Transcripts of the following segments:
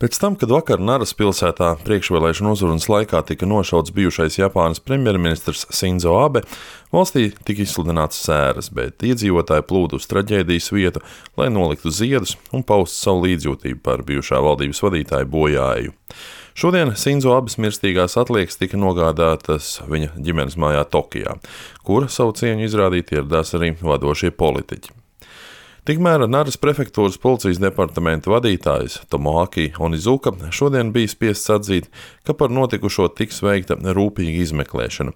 Pēc tam, kad vakar Naras pilsētā priekšvēlēšanu uzrunas laikā tika nošauts bijušais Japānas premjerministrs Sinzo Abe, valstī tika izsludināts sēras, bet iedzīvotāji plūda uz traģēdijas vietu, lai noliktu ziedus un paustu savu līdzjūtību par bijušā valdības vadītāju bojāeju. Šodien Sinzo Abes mirstīgās atliekas tika nogādātas viņa ģimenes mājā Tokijā, kur savu cieņu izrādīt ieradās arī vadošie politiķi. Tikmēr Naras prefektūras policijas departamenta vadītājs Tomoaki Onizuka šodien bija spiests atzīt, ka par notikušo tiks veikta rūpīga izmeklēšana.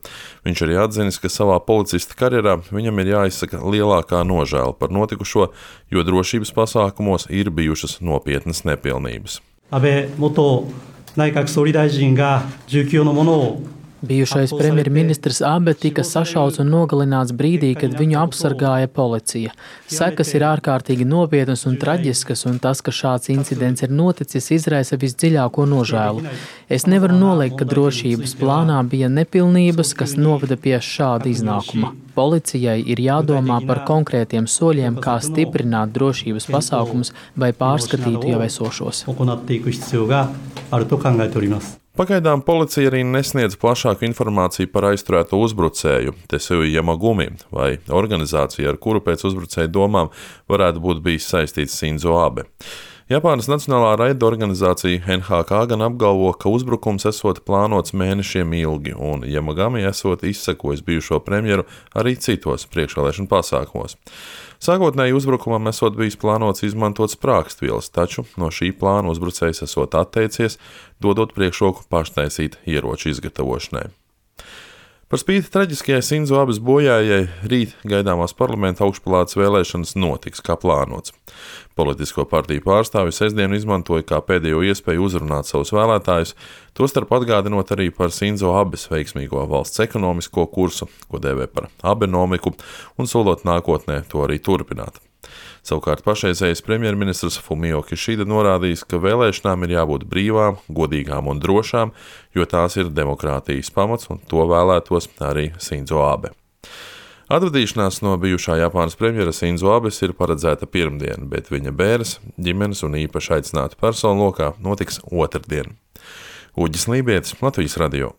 Viņš arī atzinis, ka savā policista karjerā viņam ir jāizsaka lielākā nožēla par notikušo, jo drošības pasākumos ir bijušas nopietnas nepilnības. Abe元内閣総理大臣が19のものを Bijušais premjerministrs Abe tika sašauts un nogalināts brīdī, kad viņu apsargāja policija. Sekas ir ārkārtīgi nopietnas un traģiskas, un tas, ka šāds incidents ir noticis, izraisa visdziļāko nožēlu. Es nevaru noliegt, ka drošības plānā bija nepilnības, kas noveda pie šāda iznākuma. Policijai ir jādomā par konkrētiem soļiem, kā stiprināt drošības pasākumus vai pārskatītu jau esošos. Pagaidām policija arī nesniedz plašāku informāciju par aizturēto uzbrucēju, Tetsuya Yamagumi, vai organizāciju, ar kuru pēc uzbrucēja domām varētu būt bijis saistīts Sinzo Abe. Japānas Nacionālā raida organizācija NHK gan apgalvo, ka uzbrukums esot plānots mēnešiem ilgi, un Yamagami esot izsekojis bijušo premjeru arī citos priekšvēlēšanu pasākumos. Sākotnēji uzbrukumam esot bijis plānots izmantot sprākstvielas, taču no šī plāna uzbrucējs esot atteicies, dodot priekšroku paštaisīt ieroču izgatavošanai. Par spīti traģiskajai Sinzo Abes bojājai rīt gaidāmās parlamenta augšpalātas vēlēšanas notiks kā plānots. Politisko partiju pārstāvji sestdienu izmantoja kā pēdējo iespēju uzrunāt savus vēlētājus, tostarp atgādinot arī par Sinzo Abes veiksmīgo valsts ekonomisko kursu, ko dēvē par abenomiku, un solot nākotnē to arī turpināt. Savukārt pašreizējais premjerministrs Fumio Kishida norādījis, ka vēlēšanām ir jābūt brīvām, godīgām un drošām, jo tās ir demokrātijas pamats, un to vēlētos arī Sinzo Abe. Atvadīšanās no bijušā Japānas premjera Sinzo Abes ir paredzēta pirmdien, bet viņa bēres, ģimenes un īpaši aicinātu personu lokā notiks otrdien. Uģis Lībietis, Latvijas radio.